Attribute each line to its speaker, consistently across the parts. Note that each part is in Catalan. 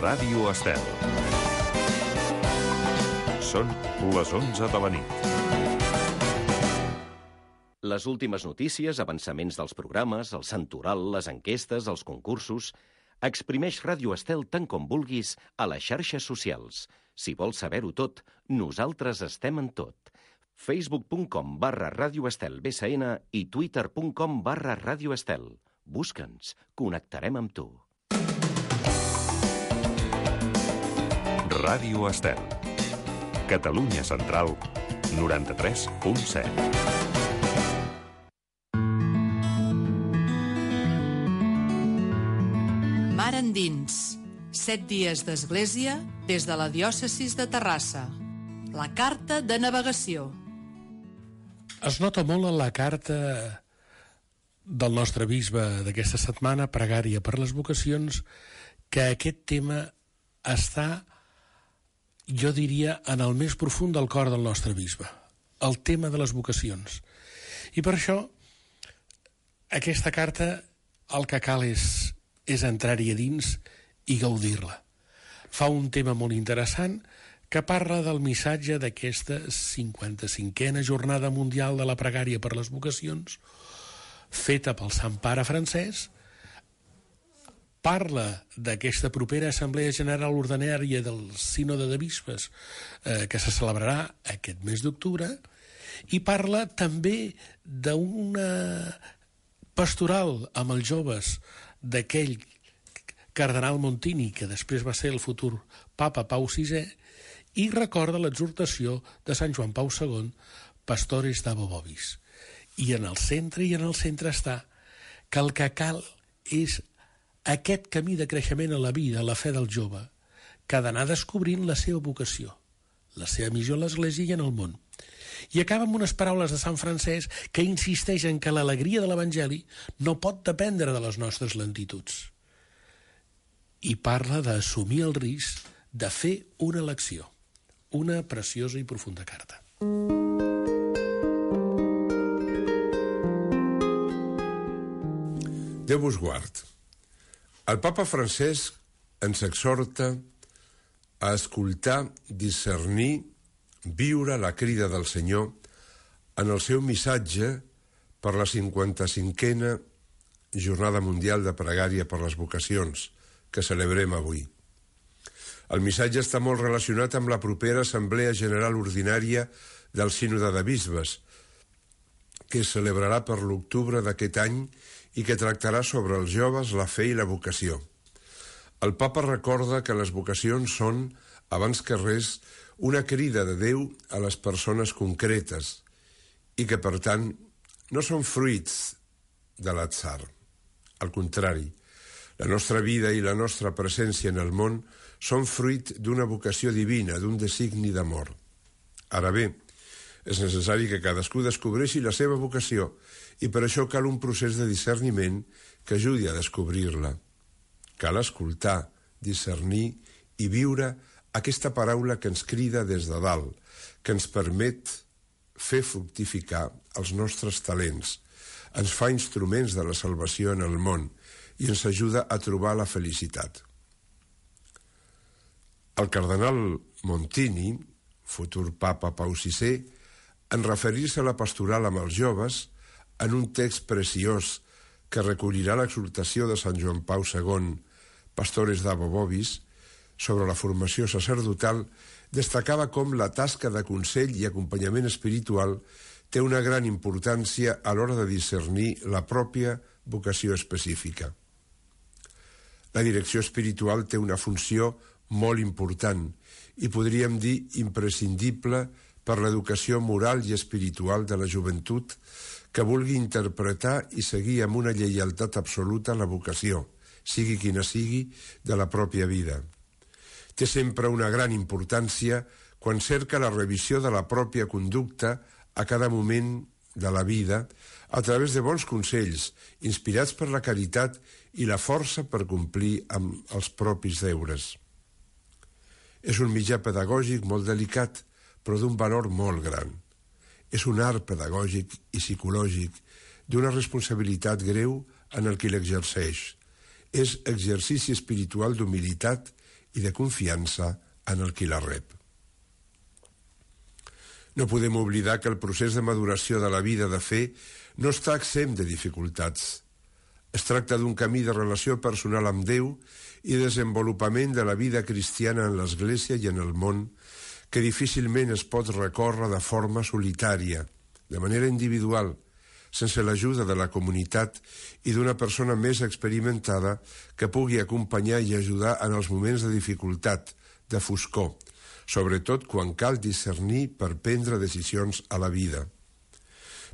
Speaker 1: Ràdio Estel. Són les 11 de la nit.
Speaker 2: Les últimes notícies, avançaments dels programes, el santoral, les enquestes, els concursos... Exprimeix Ràdio Estel tant com vulguis a les xarxes socials. Si vols saber-ho tot, nosaltres estem en tot. Facebook.com/Ràdio Estel BCN i Twitter.com/Ràdio Estel. Busca'ns, connectarem amb tu.
Speaker 1: Ràdio Estel. Catalunya Central, 93.7.
Speaker 3: Mar endins, 7 dies d'església des de la diòcesis de Terrassa. La carta de navegació.
Speaker 4: Es nota molt en la carta del nostre bisbe d'aquesta setmana, pregària per les vocacions, que aquest tema està, jo diria, en el més profund del cor del nostre bisbe, el tema de les vocacions. I per això, aquesta carta, el que cal és entrar-hi a dins i gaudir-la. Fa un tema molt interessant que parla del missatge d'aquesta 55a Jornada Mundial de la Pregària per les Vocacions, feta pel Sant Pare Francès. Parla d'aquesta propera Assemblea General Ordinària del Sínode de Bisbes que se celebrarà aquest mes d'octubre, i parla també d'una pastoral amb els joves d'aquell cardenal Montini, que després va ser el futur papa Pau VI, i recorda l'exhortació de Sant Joan Pau II, Pastores Dabo Vobis. I en el centre està que el que cal és aquest camí de creixement a la vida, a la fe del jove, que ha d'anar descobrint la seva vocació, la seva missió a l'Església i en el món. I acaba amb unes paraules de Sant Francesc que insisteix en que l'alegria de l'Evangeli no pot dependre de les nostres lentituds. I parla d'assumir el risc de fer una elecció. Una preciosa i profunda carta.
Speaker 5: Déu vos guard. El papa Francesc ens exhorta a escoltar, discernir, viure la crida del Senyor en el seu missatge per la 55a Jornada Mundial de Pregària per les Vocacions que celebrem avui. El missatge està molt relacionat amb la propera Assemblea General Ordinària del Sínode de Bisbes, que es celebrarà per l'octubre d'aquest any i que tractarà sobre els joves, la fe i la vocació. El papa recorda que les vocacions són, abans que res, una crida de Déu a les persones concretes i que, per tant, no són fruits de l'atzar. Al contrari, la nostra vida i la nostra presència en el món són fruit d'una vocació divina, d'un designi d'amor. Ara bé, és necessari que cadascú descobreixi la seva vocació i per això cal un procés de discerniment que ajudi a descobrir-la. Cal escoltar, discernir i viure aquesta paraula que ens crida des de dalt, que ens permet fer fructificar els nostres talents, ens fa instruments de la salvació en el món i ens ajuda a trobar la felicitat. El cardenal Montini, futur papa Pau VI, en referir-se a la pastoral amb els joves, en un text preciós que recollirà l'exhortació de Sant Joan Pau II, Pastores Dabo Vobis, sobre la formació sacerdotal, destacava com la tasca de consell i acompanyament espiritual té una gran importància a l'hora de discernir la pròpia vocació específica. La direcció espiritual té una funció molt important i podríem dir imprescindible per l'educació moral i espiritual de la joventut que vulgui interpretar i seguir amb una lleialtat absoluta la vocació, sigui quina sigui, de la pròpia vida. Té sempre una gran importància quan cerca la revisió de la pròpia conducta a cada moment de la vida a través de bons consells, inspirats per la caritat i la força per complir amb els propis deures. És un mitjà pedagògic molt delicat, però d'un valor molt gran. És un art pedagògic i psicològic d'una responsabilitat greu en el qui l'exerceix. És exercici espiritual d'humilitat i de confiança en el qui la rep. No podem oblidar que el procés de maduració de la vida de fe no està exempt de dificultats. Es tracta d'un camí de relació personal amb Déu i desenvolupament de la vida cristiana en l'Església i en el món que difícilment es pot recórrer de forma solitària, de manera individual, sense l'ajuda de la comunitat i d'una persona més experimentada que pugui acompanyar i ajudar en els moments de dificultat, de foscor, sobretot quan cal discernir per prendre decisions a la vida.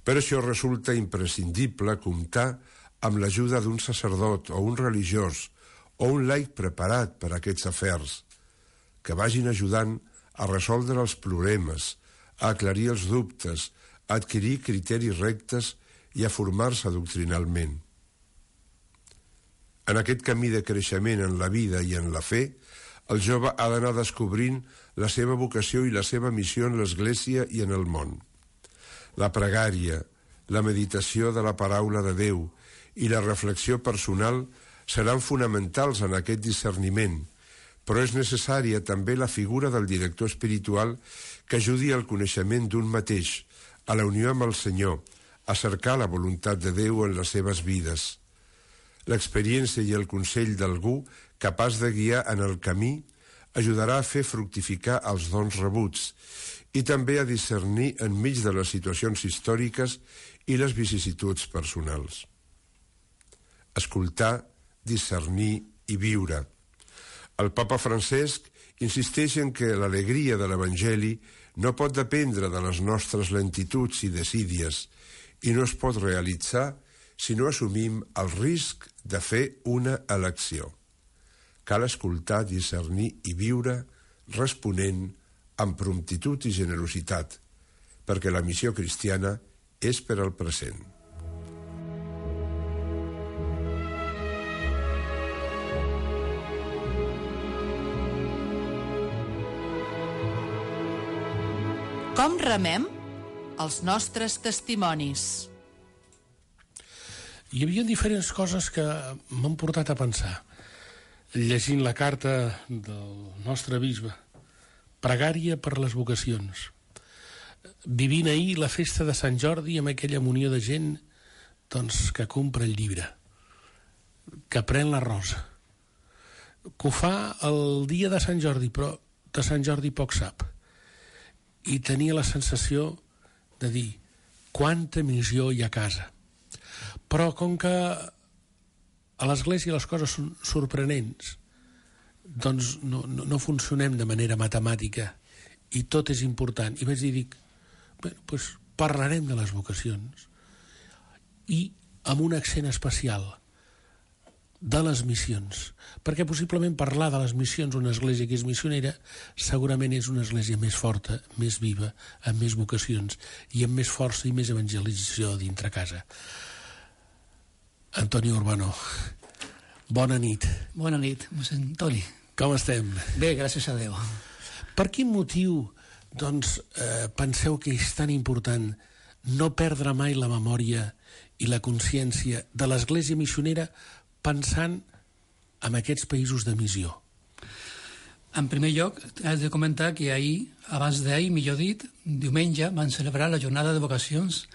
Speaker 5: Per això resulta imprescindible comptar amb l'ajuda d'un sacerdot o un religiós o un laic preparat per a aquests afers, que vagin ajudant a resoldre els problemes, a aclarir els dubtes, a adquirir criteris rectes i a formar-se doctrinalment. En aquest camí de creixement en la vida i en la fe, el jove ha d'anar descobrint la seva vocació i la seva missió en l'Església i en el món. La pregària, la meditació de la paraula de Déu i la reflexió personal seran fonamentals en aquest discerniment, però és necessària també la figura del director espiritual que ajudi al coneixement d'un mateix, a la unió amb el Senyor, a cercar la voluntat de Déu en les seves vides. L'experiència i el consell d'algú capaç de guiar en el camí ajudarà a fer fructificar els dons rebuts i també a discernir enmig de les situacions històriques i les vicissituds personals. Escoltar, discernir i viure. El papa Francesc insisteix en que l'alegria de l'Evangeli no pot dependre de les nostres lentituds i desídies i no es pot realitzar si no assumim el risc de fer una elecció. Cal escoltar, discernir i viure responent amb promptitud i generositat, perquè la missió cristiana és per al present.
Speaker 3: Com remem els nostres testimonis?
Speaker 4: Hi havia diferents coses que m'han portat a pensar. Llegint la carta del nostre bisbe, pregària per les vocacions. Vivint ahir la festa de Sant Jordi amb aquella munió de gent que compra el llibre, que pren la rosa, que ho fa el dia de Sant Jordi, però de Sant Jordi poc sap. I tenia la sensació de dir quanta missió hi ha a casa. Però com que a l'Església les coses són sorprenents, doncs no funcionem de manera matemàtica i tot és important. I vaig dir, doncs parlarem de les vocacions i amb un accent especial de les missions, perquè possiblement parlar de les missions una església que és missionera segurament és una església més forta, més viva, amb més vocacions i amb més força i més evangelització dintre casa. Antoni Urbano, bona nit.
Speaker 6: Bona nit, mossèn Toni.
Speaker 4: Com estem?
Speaker 6: Bé, gràcies a Déu.
Speaker 4: Per quin motiu, penseu que és tan important no perdre mai la memòria i la consciència de l'església missionera pensant en aquests països de missió?
Speaker 6: En primer lloc, he de comentar que ahir, abans d'ahir, millor dit, diumenge, van celebrar la jornada de vocacions,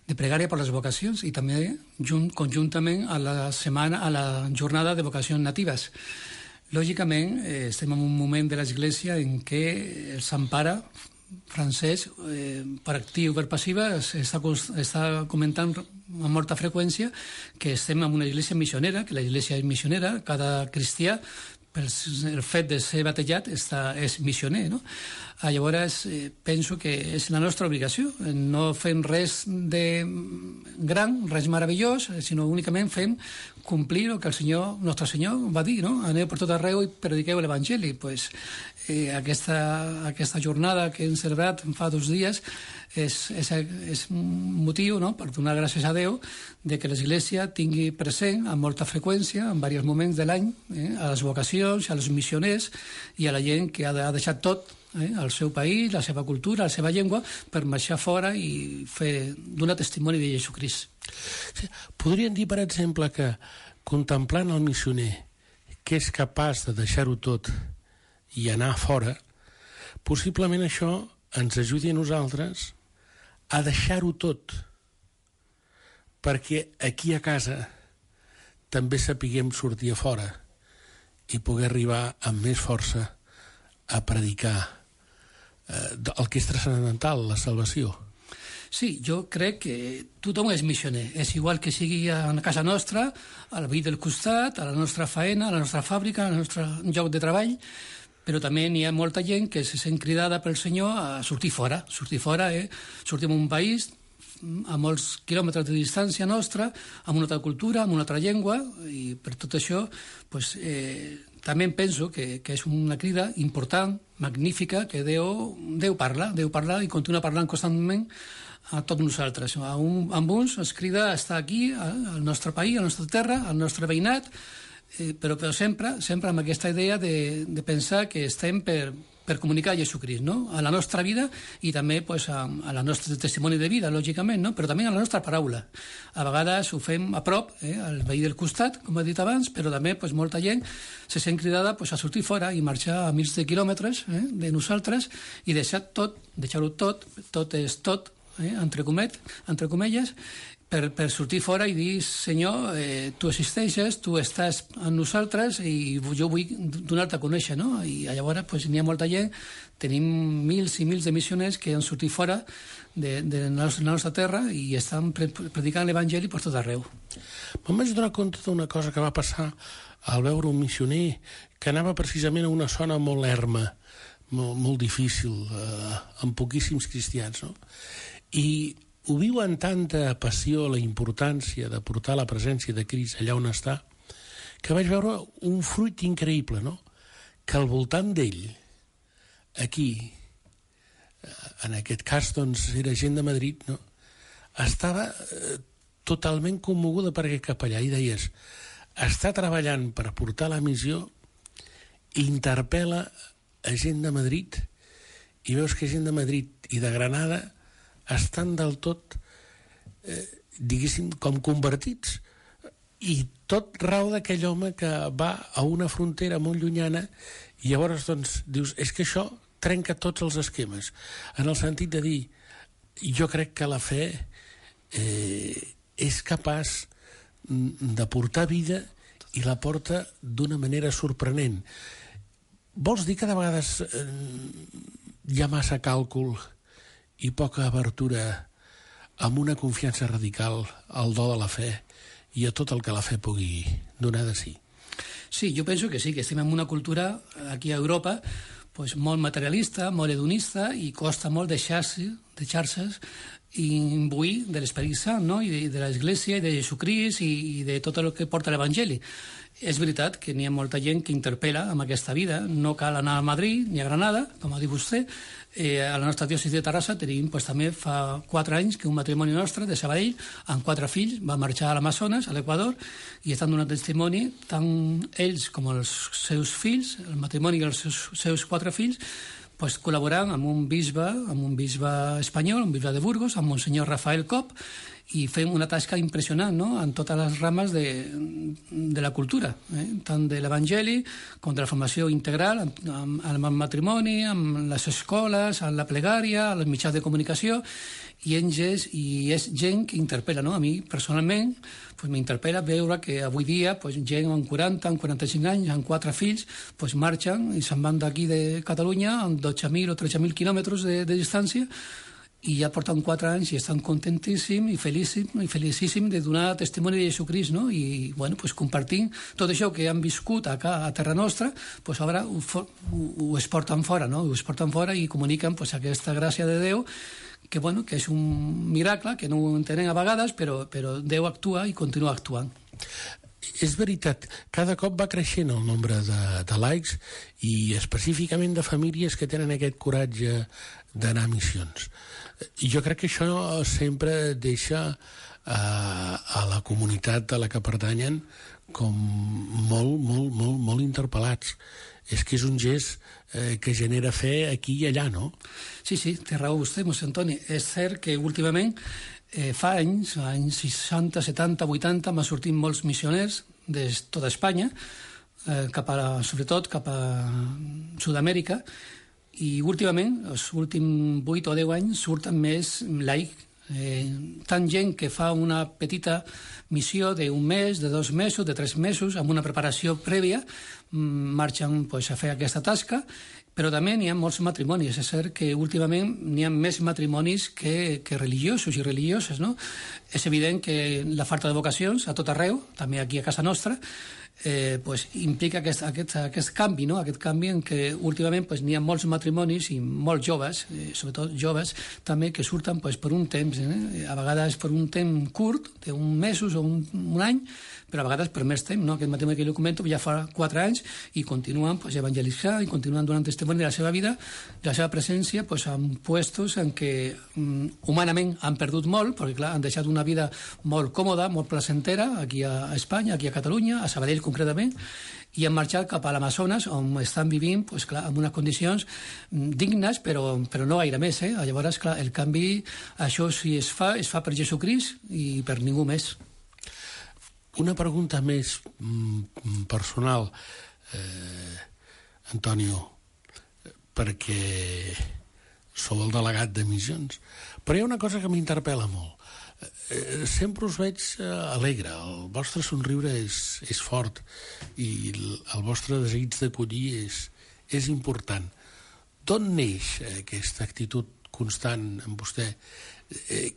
Speaker 6: de pregària per les vocacions, i també conjuntament a la jornada de vocacions natives. Lògicament, estem en un moment de l'Església en què el Sant Pare Francesc, per actiu i per passiva, està comentant amb molta freqüència que estem en una església missionera, que l'església és missionera, cada cristià, pel fet de ser batejat, és missioner, no? Llavors, penso que és la nostra obligació. No fem res de gran, res meravellós, sinó únicament fem complir el que el nostre Senyor va dir, no? Aneu per tot arreu i prediqueu l'Evangeli. Pues, aquesta jornada que hem celebrat fa 2 dies és un motiu, no?, per donar gràcies a Déu de que l'Església tingui present amb molta freqüència, en diversos moments de l'any, a les vocacions, a les missioners i a la gent que ha deixat tot, el seu país, la seva cultura, la seva llengua, per marxar fora i donar testimoni de Jesucrist.
Speaker 4: Sí, podríem dir, per exemple, que contemplant el missioner que és capaç de deixar-ho tot i anar fora, possiblement això ens ajudi a nosaltres a deixar-ho tot, perquè aquí a casa també sapiguem sortir a fora i poder arribar amb més força a predicar el que és transcendental, la salvació.
Speaker 6: Sí, jo crec que tothom és missioner. És igual que sigui a casa nostra, al veí del costat, a la nostra faena, a la nostra fàbrica, al nostre lloc de treball, però també n'hi ha molta gent que se sent cridada pel Senyor a sortir fora. Sortim a un país a molts quilòmetres de distància nostra, amb una altra cultura, amb una altra llengua, i per tot això també penso que és una crida important, magnífica, que Déu parla i continua parlant constantment a tots nosaltres. Amb uns es crida a estar aquí, al nostre país, a la nostra terra, al nostre veïnat, però sempre amb aquesta idea de pensar que estem per comunicar Jesucrist, no? A la nostra vida i també pues, a la nostra testimoni de vida, lògicament, no? Però també a la nostra paraula. A vegades ho fem a prop, al veí del costat, com he dit abans, però també pues, molta gent se sent cridada pues, a sortir fora i marxar a mils de quilòmetres de nosaltres i deixar-ho tot és tot, entre comelles, per sortir fora i dir, Senyor, tu existeixes, tu estàs amb nosaltres i jo vull donar-te a conèixer, no? I llavors pues, n'hi ha molta gent, tenim mils i mils de missioners que han sortit fora de la nostra terra i estan predicant l'Evangeli per tot arreu.
Speaker 4: Me'n vaig donar compte d'una cosa que va passar al veure un missioner que anava precisament a una zona molt erma, molt difícil, amb poquíssims cristians, no? I ho viu amb tanta passió la importància de portar la presència de Crist allà on està, que vaig veure un fruit increïble, no? Que al voltant d'ell, aquí, en aquest cas, doncs, era gent de Madrid, no? Estava totalment commoguda perquè cap allà, i deies, està treballant per portar la missió, interpel·la a gent de Madrid, i veus que gent de Madrid i de Granada estan del tot, diguéssim, com convertits. I tot rau d'aquell home que va a una frontera molt llunyana i llavors, doncs, dius, és que això trenca tots els esquemes, en el sentit de dir, jo crec que la fe és capaç de portar vida i la porta d'una manera sorprenent. Vols dir que de vegades hi ha massa càlcul i poca abertura amb una confiança radical al do de la fe i a tot el que la fe pugui donar de si?
Speaker 6: Sí, jo penso que sí, que estem en una cultura aquí a Europa pues, molt materialista, molt hedonista i costa molt deixar-se imbuir de l'Esperit Sant, no? I de l'Església i de Jesucrist i de tot el que porta l'Evangeli. És veritat que n'hi ha molta gent que interpel·la amb aquesta vida. No cal anar a Madrid ni a Granada, com ha dit vostè. A la nostra diòcesi de Terrassa tenim pues, també fa 4 anys que un matrimoni nostre de Sabadell amb 4 fills va marxar a l'Amazones, a l'Equador, i estan donant testimoni tant ells com els seus fills, el matrimoni i els seus 4 fills, pues, col·laborant amb un bisbe espanyol, un bisbe de Burgos, amb Monsenyor Rafael Cop, i fem una tasca impressionant, no?, en totes les rames de la cultura, tant de l'Evangeli com de la formació integral, amb el matrimoni, amb les escoles, amb la plegària, amb els mitjans de comunicació, i és gent que interpel·la, no? A mi, personalment, pues, m'interpel·la veure que avui dia pues, gent amb 40, amb 45 anys, amb 4 fills, pues, marxen i se'n van d'aquí de Catalunya amb 12.000 o 13.000 quilòmetres de distància i ja porten 4 anys i estan contentíssims i felicíssims de donar testimoni de Jesucrist, no? I, bueno, pues, compartint tot això que han viscut acá a terra nostra, pues, ara ho exporten fora, no? Ho exporten fora i comuniquen pues, aquesta gràcia de Déu que, bueno, que és un miracle, que no ho entenem a vegades, però Déu actua i continua actuant.
Speaker 4: És veritat, cada cop va creixent el nombre de laics i específicament de famílies que tenen aquest coratge d'anar a missions. Jo crec que això sempre deixa a la comunitat a la que pertanyen com molt interpel·lats. És que és un gest que genera fe aquí i allà, no?
Speaker 6: Sí, té raó vostè, Mossèn Antoni. És cert que últimament fa anys 60, 70, 80, m'han sortit molts missioners de tota Espanya, sobretot cap a Sud-amèrica, i últimament, els últims 8 o 10 anys, surten més laic. Tant gent que fa una petita missió d'un mes, de 2 mesos, de 3 mesos, amb una preparació prèvia, marxen a fer aquesta tasca, però també n'hi ha molts matrimonis. És cert que últimament n'hi ha més matrimonis que religiosos i religioses, no? És evident que la falta de vocacions a tot arreu, també aquí a casa nostra, implica aquest canvi, no? Aquest canvi en què últimament n'hi ha molts matrimonis i molts joves, sobretot joves, també que surten per un temps, a vegades per un temps curt, d'un mesos o un any, però a vegades per més temps, no? Aquest matrimoni que jo comento ja fa 4 anys i continuen evangelitzant i continuen donant testimoni de la seva vida, de la seva presència en puestos en què humanament han perdut molt, perquè clar, han deixat una vida molt còmoda, molt placentera, aquí a Espanya, aquí a Catalunya, a Sabadell concretament, i han marxat cap a l'Amazones, on estan vivint en unes condicions dignes, però no gaire més. Llavors, clar, el canvi, això si es fa per Jesucrist i per ningú més.
Speaker 4: Una pregunta més personal, Antonio, perquè sou el delegat de missions, però hi ha una cosa que m'interpel·la molt. Sempre us veig alegre, el vostre somriure és fort i el vostre desig d'acollir és important. D'on neix aquesta actitud constant en vostè,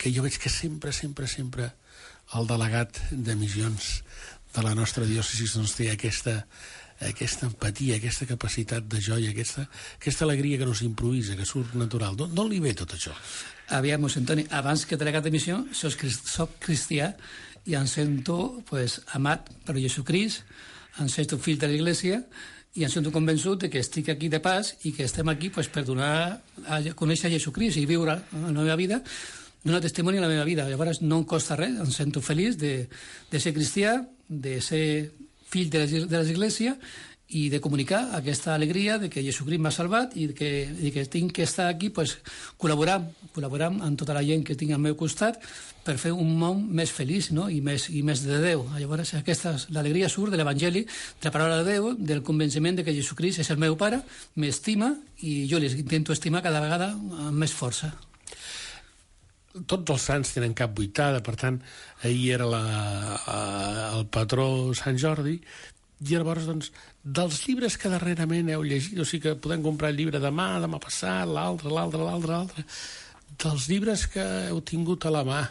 Speaker 4: que jo veig que sempre el delegat de missions de la nostra diòcesi té aquesta empatia, aquesta capacitat de joia, aquesta alegria que no s'improvisa, que surt natural. D'on li ve tot això?
Speaker 6: Aviam, Antoni, abans que delegat de missió, soc cristià i em sento amat per Jesucrist, em sento fill de l'Església i em sento convençut que estic aquí de pas i que estem aquí per donar a conèixer Jesucrist i viure la meva vida, donar testimoni a la meva vida. Llavors no em costa res, em sento feliç de ser cristià, de ser fill de l'Església i de comunicar aquesta alegria de que Jesucrist m'ha salvat i que tinc que estar aquí col·laborant amb tota la gent que tinc al meu costat per fer un món més feliç, no? I més de Déu. Llavors l'alegria surt de l'Evangeli, de la paraula de Déu, del convenciment de que Jesucrist és el meu pare, m'estima i jo l'intento estimar cada vegada amb més força.
Speaker 4: Tots els sants tenen cap vuitada, per tant, ahir era el patró Sant Jordi, i llavors, doncs, dels llibres que darrerament heu llegit, o sigui que podem comprar el llibre demà passat, l'altre, dels llibres que heu tingut a la mà,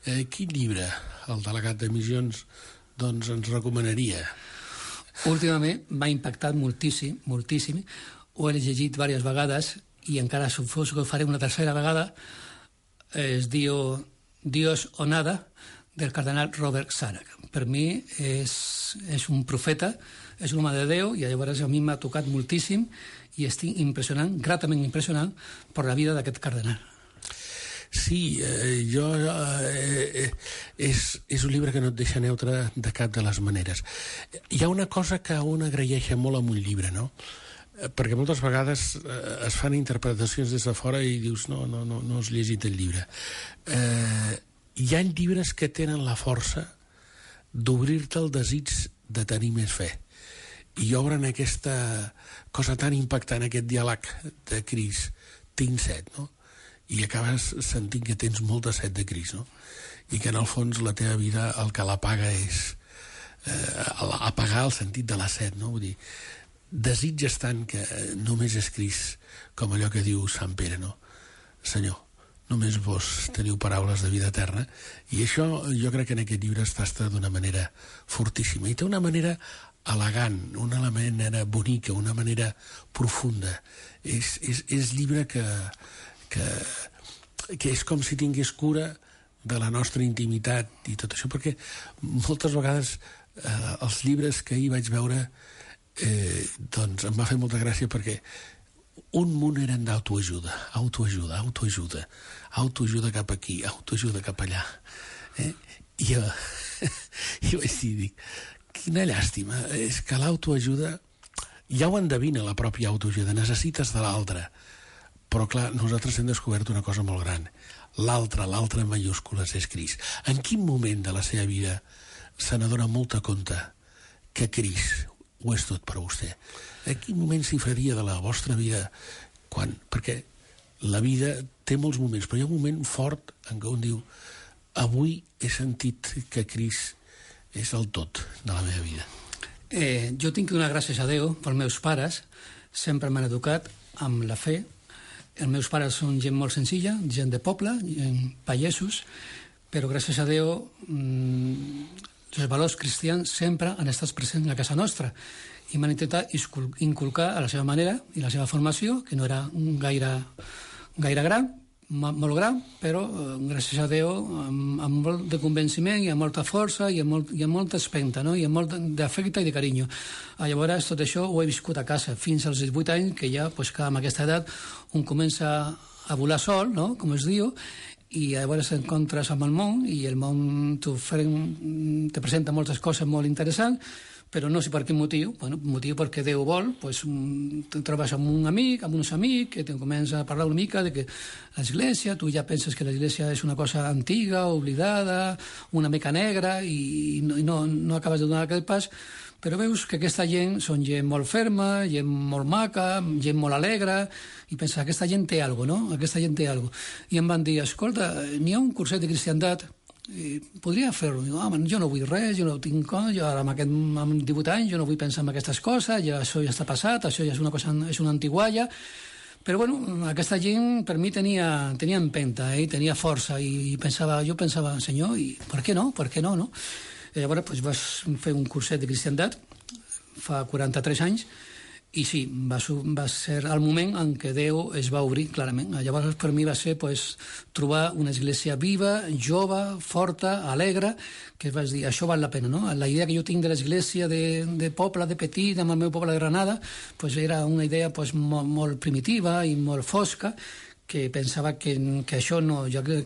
Speaker 4: quin llibre el delegat de missions doncs, ens recomanaria?
Speaker 6: Últimament m'ha impactat moltíssim, ho he llegit diverses vegades i encara suposo que ho faré una tercera vegada. Es diu Dios o nada, del cardenal Robert Sarach. Per mi és un profeta, és un home de Déu, i llavors a mi m'ha tocat moltíssim i estic gratament impressionant per la vida d'aquest cardenal.
Speaker 4: Sí, és un llibre que no et deixa neutre de cap de les maneres. Hi ha una cosa que un agraeix molt amb un llibre, no? Perquè moltes vegades es fan interpretacions des de fora i dius no has llegit el llibre. Hi ha llibres que tenen la força d'obrir-te el desig de tenir més fe i obren aquesta cosa tan impactant, aquest diàleg de Crist, tinc set, no? I acabes sentint que tens molta set de Crist, no? I que en el fons la teva vida el que l'apaga és apagar el sentit de la set, no? Vull dir, desitges tant que només és Crist, com allò que diu Sant Pere, no? Senyor, només vos teniu paraules de vida eterna, i això jo crec que en aquest llibre es tasta d'una manera fortíssima, i té una manera elegant, una manera bonica, una manera profunda. És llibre que és com si tingués cura de la nostra intimitat i tot això, perquè moltes vegades els llibres que ahir vaig veure doncs em va fer molta gràcia, perquè un munt eren d'autoajuda, autoajuda cap aquí, autoajuda cap allà, i jo vaig dir, quina llàstima, és que l'autoajuda ja ho endevina, la pròpia autoajuda, necessites de l'altre, però clar, nosaltres hem descobert una cosa molt gran, l'altre en mayúscules és Crist. En quin moment de la seva vida se n'adona molta compte que Crist ho és tot per a vostè. A quin moment s'hi faria de la vostra vida? Perquè la vida té molts moments, però hi ha un moment fort en què un diu avui he sentit que Crist és el tot de la meva vida.
Speaker 6: Jo tinc que donar gràcies a Déu pels meus pares, sempre m'han educat amb la fe. Els meus pares són gent molt senzilla, gent de poble, gent pagesos, però gràcies a Déu els valors cristians sempre han estat presents a casa nostra i m'han intentat inculcar a la seva manera i la seva formació, que no era gaire gran, molt gran, però gràcies a Déu amb molt de convenciment i amb molta força i amb molta espenta, no? I amb molt d'afecte i de carinyo. Llavors tot això ho he viscut a casa fins als 18 anys, que ja pues, amb aquesta edat un comença a volar sol, no? Com es diu, i llavors t'encontres amb el món i el món te presenta moltes coses molt interessants, però no sé per quin motiu. Motiu perquè Déu vol, pues, te trobes amb un amic, amb uns amics, que te comença a parlar una mica de que l'església, tu ja penses que l'església és una cosa antiga, oblidada, una mica negra, i no acabes de donar aquest pas, però veus que aquesta gent són gent molt ferma, gent molt maca, gent molt alegre, i penses, aquesta gent té alguna cosa, no? Aquesta gent té alguna cosa. I em van dir, escolta, n'hi ha un curset de cristiandat, podria fer-ho. Jo no vull res, jo no tinc cosa, jo amb 18 anys jo no vull pensar en aquestes coses, això ja està passat, això ja és una antigualla. Però bueno, aquesta gent per mi tenia empenta, tenia força, i jo pensava, senyor, i per què no? No? I llavors pues, vas fer un curset de cristiandat fa 43 anys, i sí, va ser el moment en què Déu es va obrir clarament. Llavors per mi va ser pues, trobar una església viva, jove, forta, alegre, que vas dir, això val la pena, no? La idea que jo tinc de l'església de poble, de petit, amb el meu poble de Granada, pues, era una idea pues, molt primitiva i molt fosca, que pensava que això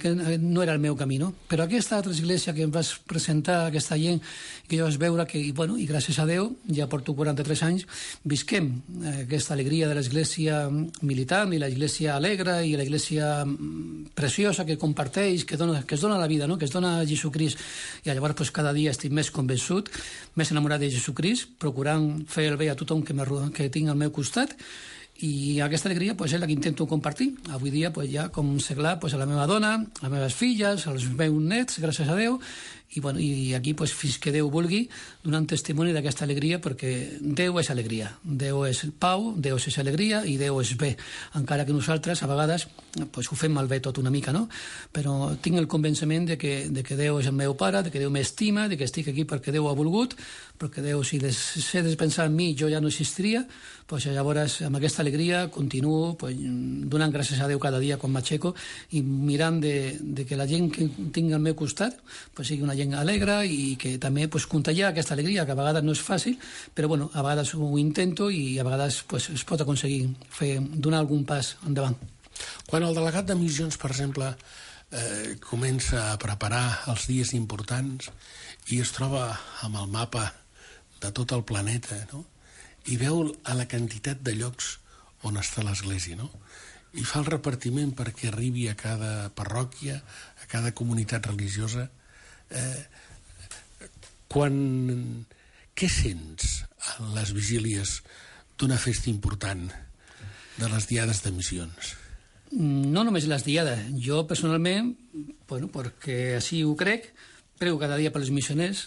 Speaker 6: que no era el meu camí, no? Però aquesta altra església que em vas presentar, aquesta gent, que jo vas veure que, i gràcies a Déu, ja porto 43 anys, visquem aquesta alegria de l'església militant i l'església alegre i l'església preciosa que comparteix, que es dona la vida, no? Que es dona a Jesucrist. I llavors pues, cada dia estic més convençut, més enamorat de Jesucrist, procurant fer el bé a tothom que tinc al meu costat, i aquesta alegria pues, és la que intento compartir. Avui dia pues, ja com seglar pues, a la meva dona, a les meves filles, als meus nets, gràcies a Déu, i aquí pues, fins que Déu vulgui donant testimoni d'aquesta alegria, perquè Déu és alegria, Déu és pau, Déu és alegria i Déu és bé, encara que nosaltres a vegades pues, ho fem malbé tot una mica, no? Però tinc el convenciment de que Déu és el meu pare, de que Déu m'estima, de que estic aquí perquè Déu ha volgut, perquè Déu, si deixés de pensar en mi, jo ja no existiria, pues, llavors amb aquesta alegria continuo pues, donant gràcies a Déu cada dia quan m'aixeco i mirant de que la gent que tinc al meu costat pues, sigui una gent alegre i que també pues, contagiar aquesta alegria, que a vegades no és fàcil, però bueno, a vegades ho intento i a vegades pues, es pot aconseguir donar algun pas endavant.
Speaker 4: Quan el delegat de missions, per exemple, comença a preparar els dies importants i es troba amb el mapa de tot el planeta, no? I veu a la quantitat de llocs on està l'església, no? I fa el repartiment perquè arribi a cada parròquia, a cada comunitat religiosa. Què sents en les vigílies d'una festa important, de les diades de missions?
Speaker 6: No només les diades. Jo, personalment, perquè així ho crec, prego cada dia per les missioners,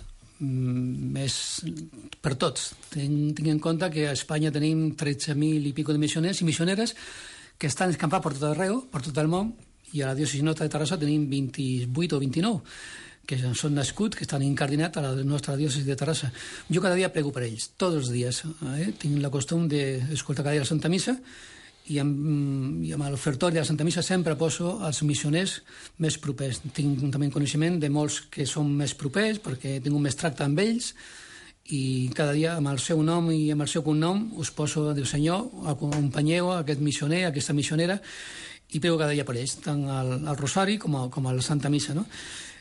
Speaker 6: per tots. Tinc en compte que a Espanya tenim 13.000 i pico de missioners i missioneres que estan escampats per tot arreu, per tot el món, i a la diòcesi nostra de Terrassa tenim 28 o 29 que són nascuts, que estan incardinats a la nostra diòcesi de Terrassa. Jo cada dia prego per ells, tots els dies. Tinc la costum d'escoltar cada dia la Santa Missa i amb l'ofertori de la Santa Missa sempre poso els missioners més propers. Tinc també coneixement de molts que són més propers perquè tinc un més tracte amb ells i cada dia amb el seu nom i amb el seu cognom us poso, diu Senyor, acompanyeu aquest missioner, aquesta missionera, i prego cada dia per ells, tant al Rosari com a la Santa Missa, no?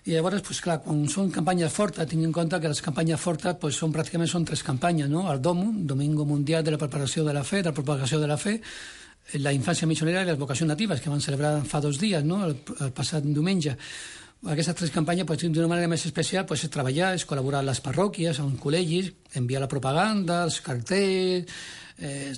Speaker 6: I llavors, pues, clar, quan són campanyes fortes, tinc en compte que les campanyes fortes pues, pràcticament són 3 campanyes, no? El DOMU, Domingo Mundial de la Preparació de la Fe, de la Propagació de la Fe, la infància missionera i les vocacions natives, que van celebrar fa 2 dies, no? El passat diumenge. Aquestes 3 campanyes, pues, d'una manera més especial, pues, és treballar, és col·laborar amb les parròquies, amb col·legis, enviar la propaganda, els cartells,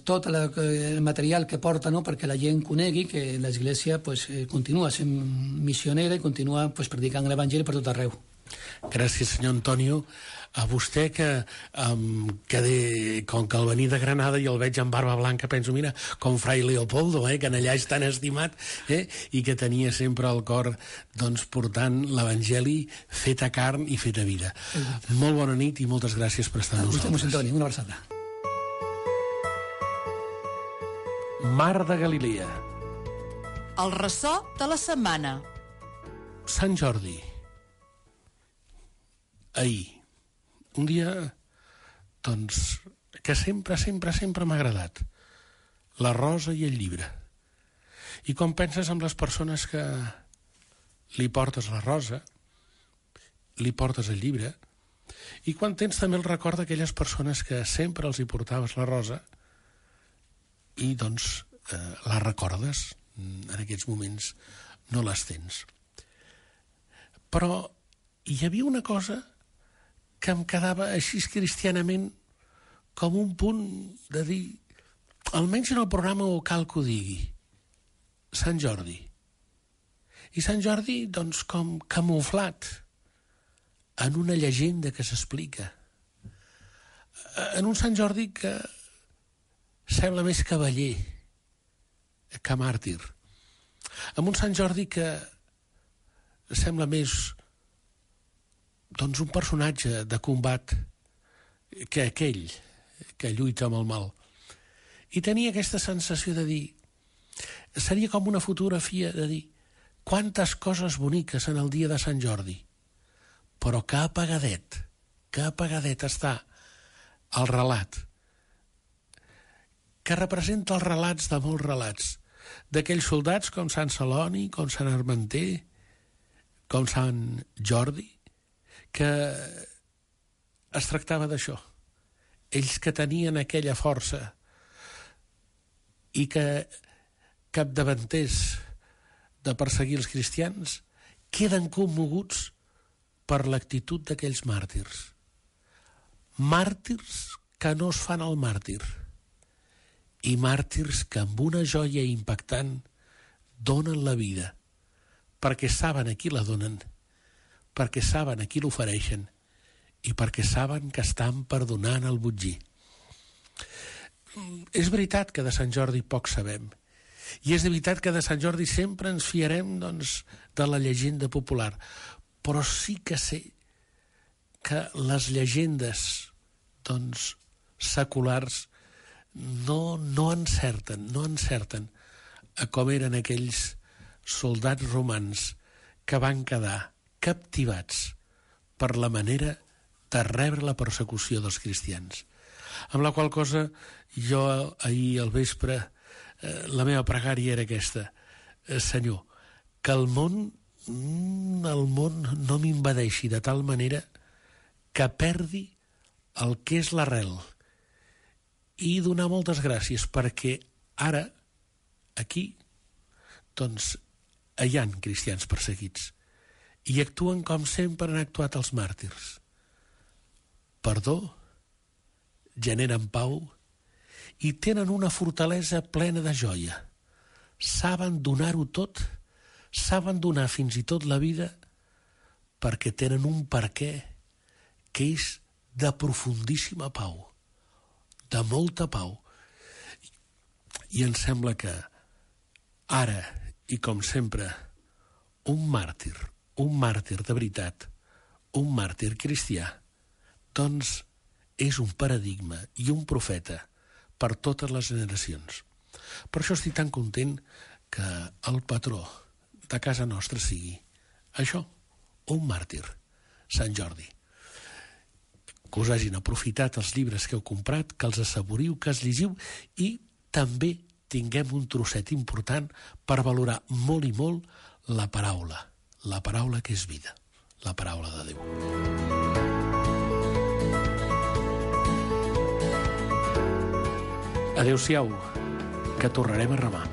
Speaker 6: tot el material que porta, no?, perquè la gent conegui que l'Església pues, continua sent missionera i continua pues, predicant l'Evangeli per tot arreu.
Speaker 4: Gràcies, senyor Antonio. A vostè que com que al venir de Granada i el veig amb barba blanca, penso, mira, com Fray Leopoldo, que en allà és tan estimat, i que tenia sempre al cor doncs, portant l'Evangeli fet a carn i fet a vida. Molt bona nit i moltes gràcies per estar amb nosaltres.
Speaker 6: Vostè, Antoni, una abraçada.
Speaker 4: Mar de Galilea.
Speaker 3: El ressò de la setmana.
Speaker 4: Sant Jordi. Ahir. Un dia, doncs, que sempre m'ha agradat. La rosa i el llibre. I quan penses en les persones que li portes la rosa, li portes el llibre, i quan tens també el record d'aquelles persones que sempre els hi portaves la rosa, i doncs la recordes, en aquests moments no les tens. Però hi havia una cosa que em quedava així cristianament com un punt de dir, almenys en el programa ho cal que ho digui, Sant Jordi. I Sant Jordi, doncs, com camuflat en una llegenda que s'explica. En un Sant Jordi que sembla més cavaller que màrtir. En un Sant Jordi que sembla més doncs un personatge de combat que aquell que lluita amb el mal. I tenia aquesta sensació de dir, seria com una fotografia de dir, quantes coses boniques en el dia de Sant Jordi, però que apagadet està el relat, que representa els relats de molts relats, d'aquells soldats com Sant Celoni, com Sant Armenter, com Sant Jordi, que es tractava d'això. Ells que tenien aquella força i que capdavanters de perseguir els cristians queden commoguts per l'actitud d'aquells màrtirs. Màrtirs que no es fan el màrtir i màrtirs que amb una joia impactant donen la vida perquè saben a qui la donen, perquè saben a qui l'ofereixen i perquè saben que estan perdonant el botgí. És veritat que de Sant Jordi poc sabem, i és veritat que de Sant Jordi sempre ens fiarem doncs, de la llegenda popular, però sí que sé que les llegendes doncs, seculars no encerten a com eren aquells soldats romans que van quedar captivats per la manera de rebre la persecució dels cristians. Amb la qual cosa, jo ahir al vespre, la meva pregària era aquesta, Senyor, que el món no m'invadeixi de tal manera que perdi el que és l'arrel, i donar moltes gràcies perquè ara, aquí, doncs, hi ha cristians perseguits i actuen com sempre han actuat els màrtirs. Perdó, generen pau i tenen una fortalesa plena de joia. Saben donar-ho tot, saben donar fins i tot la vida perquè tenen un perquè que és de profundíssima pau, de molta pau. I em sembla que ara, i com sempre, un màrtir de veritat, un màrtir cristià, doncs és un paradigma i un profeta per totes les generacions. Per això estic tan content que el patró de casa nostra sigui això, un màrtir, Sant Jordi. Que us hagin aprofitat els llibres que heu comprat, que els assaboriu, que els llegiu i també tinguem un trosset important per valorar molt i molt la paraula que és vida, la paraula de Déu. Adéu-siau, que tornarem a remar.